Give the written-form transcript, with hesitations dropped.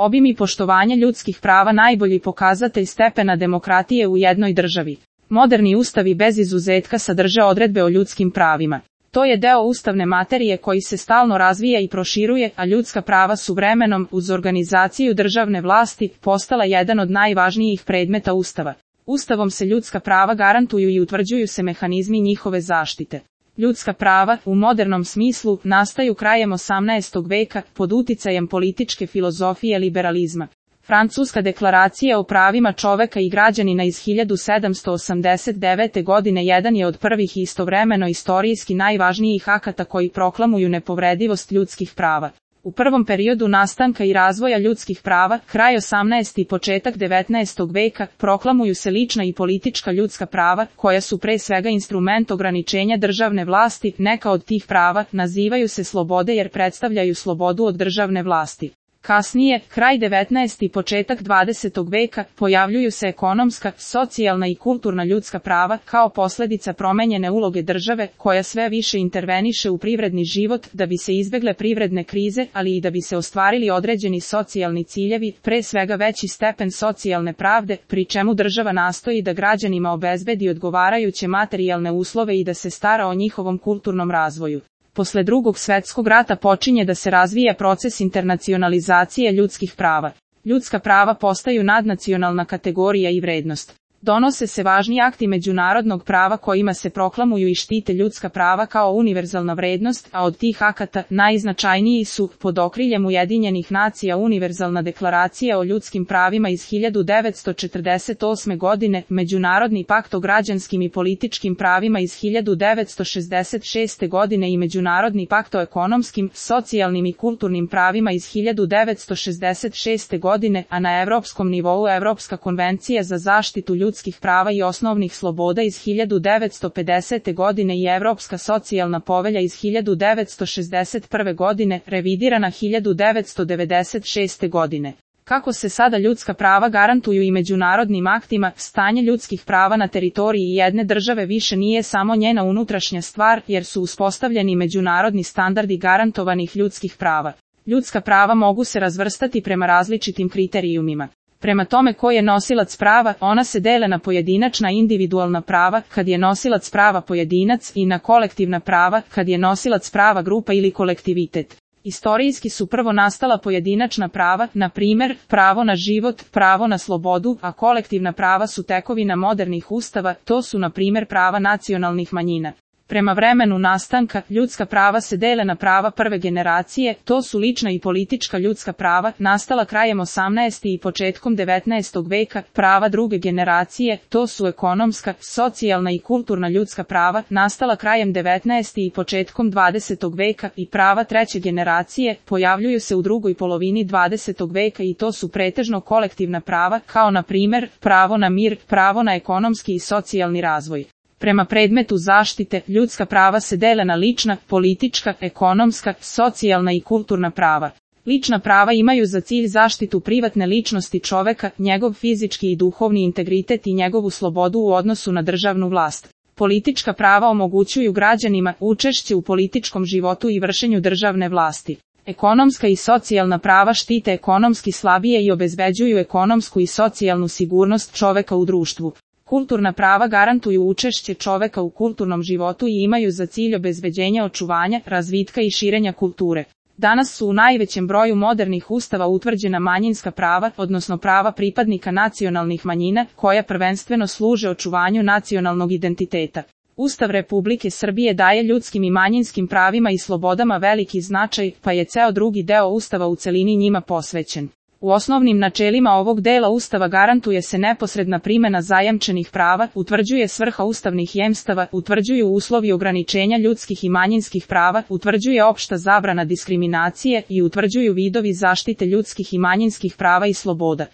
Obim i poštovanje ljudskih prava najbolji pokazatelj stepena demokratije u jednoj državi. Moderni ustavi bez izuzetka sadrže odredbe o ljudskim pravima. To je deo ustavne materije koji se stalno razvija i proširuje, a ljudska prava su vremenom, uz organizaciju državne vlasti, postala jedan od najvažnijih predmeta Ustava. Ustavom se ljudska prava garantuju i utvrđuju se mehanizmi njihove zaštite. Ljudska prava, u modernom smislu, nastaju krajem 18. veka, pod uticajem političke filozofije liberalizma. Francuska deklaracija o pravima čoveka i građanina iz 1789. godine jedan je od prvih i istovremeno istorijski najvažnijih akata koji proklamuju nepovredivost ljudskih prava. U prvom periodu nastanka i razvoja ljudskih prava, kraj 18. i početak 19. veka, proklamuju se lična i politička ljudska prava, koja su pre svega instrument ograničenja državne vlasti. Neka od tih prava nazivaju se slobode jer predstavljaju slobodu od državne vlasti. Kasnije, kraj 19. i početak 20. veka, pojavljuju se ekonomska, socijalna i kulturna ljudska prava, kao posljedica promenjene uloge države, koja sve više interveniše u privredni život, da bi se izbegle privredne krize, ali i da bi se ostvarili određeni socijalni ciljevi, pre svega veći stepen socijalne pravde, pri čemu država nastoji da građanima obezbedi odgovarajuće materijalne uslove i da se stara o njihovom kulturnom razvoju. Posle Drugog svjetskog rata počinje da se razvija proces internacionalizacije ljudskih prava. Ljudska prava postaju nadnacionalna kategorija i vrednost. Donose se važni akti međunarodnog prava kojima se proklamuju i štite ljudska prava kao univerzalna vrednost, a od tih akata najznačajniji su, pod okriljem Ujedinjenih nacija, Univerzalna deklaracija o ljudskim pravima iz 1948. godine, Međunarodni pakt o građanskim i političkim pravima iz 1966. godine i Međunarodni pakt o ekonomskim, socijalnim i kulturnim pravima iz 1966. godine, a na evropskom nivou Evropska konvencija za zaštitu ljudskih prava i osnovnih sloboda iz 1950. godine i Evropska socijalna povelja iz 1961. godine, revidirana 1996. godine. Kako se sada ljudska prava garantuju i međunarodnim aktima, stanje ljudskih prava na teritoriji jedne države više nije samo njena unutrašnja stvar, jer su uspostavljeni međunarodni standardi garantovanih ljudskih prava. Ljudska prava mogu se razvrstati prema različitim kriterijumima. Prema tome ko je nosilac prava, ona se dele na pojedinačna individualna prava, kad je nosilac prava pojedinac, i na kolektivna prava, kad je nosilac prava grupa ili kolektivitet. Istorijski su prvo nastala pojedinačna prava, na primjer, pravo na život, pravo na slobodu, a kolektivna prava su tekovina modernih ustava, to su na primjer prava nacionalnih manjina. Prema vremenu nastanka, ljudska prava se dele na prava prve generacije, to su lična i politička ljudska prava, nastala krajem 18. i početkom 19. veka, prava druge generacije, to su ekonomska, socijalna i kulturna ljudska prava, nastala krajem 19. i početkom 20. veka, i prava treće generacije, pojavljuju se u drugoj polovini 20. veka i to su pretežno kolektivna prava, kao na primjer, pravo na mir, pravo na ekonomski i socijalni razvoj. Prema predmetu zaštite, ljudska prava se dele na lična, politička, ekonomska, socijalna i kulturna prava. Lična prava imaju za cilj zaštitu privatne ličnosti čoveka, njegov fizički i duhovni integritet i njegovu slobodu u odnosu na državnu vlast. Politička prava omogućuju građanima učešće u političkom životu i vršenju državne vlasti. Ekonomska i socijalna prava štite ekonomski slabije i obezbeđuju ekonomsku i socijalnu sigurnost čoveka u društvu. Kulturna prava garantuju učešće čoveka u kulturnom životu i imaju za cilj obezbeđenje očuvanja, razvitka i širenja kulture. Danas su u najvećem broju modernih ustava utvrđena manjinska prava, odnosno prava pripadnika nacionalnih manjina, koja prvenstveno služe očuvanju nacionalnog identiteta. Ustav Republike Srbije daje ljudskim i manjinskim pravima i slobodama veliki značaj, pa je ceo drugi deo Ustava u celini njima posvećen. U osnovnim načelima ovog dela Ustava garantuje se neposredna primjena zajamčenih prava, utvrđuje svrha ustavnih jemstava, utvrđuju uslovi ograničenja ljudskih i manjinskih prava, utvrđuje opšta zabrana diskriminacije i utvrđuju vidovi zaštite ljudskih i manjinskih prava i sloboda.